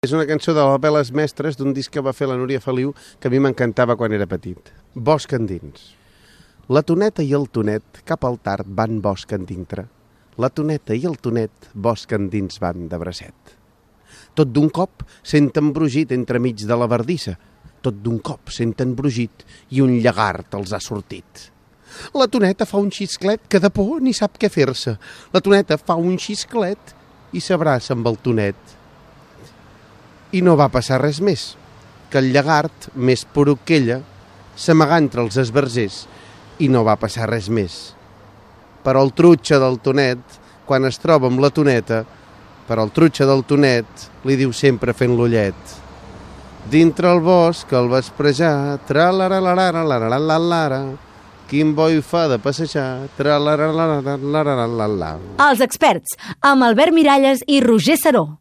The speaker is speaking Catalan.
És una cançó de les Veles Mestres d'un disc que va fer la Núria Feliu que a mi m'encantava quan era petit. Bosc endins. La toneta i el tonet cap al tard van bosc endintre. La toneta i el tonet bosc endins van de bracet. Tot d'un cop senten brugit entremig de la verdissa. Tot d'un cop senten brugit i un llagart els ha sortit. La toneta fa un xisclet que de por ni sap què fer-se. La toneta fa un xisclet i s'abraça amb el tonet. I no va passar res més, que el llagart, més poruc que ella, s'amagà entre els esbarzers i no va passar res més. Però el trutxa del tonet, quan es troba amb la toneta, però el trutxa del tonet li diu sempre fent l'ullet. Dintre el bosc, al vesprejar, tra-la-la-la-la-la-la-la-la, quin boi fa de passejar, tra-la-la-la-la-la-la-la-la. Els experts, amb Albert Miralles i Roger Saró.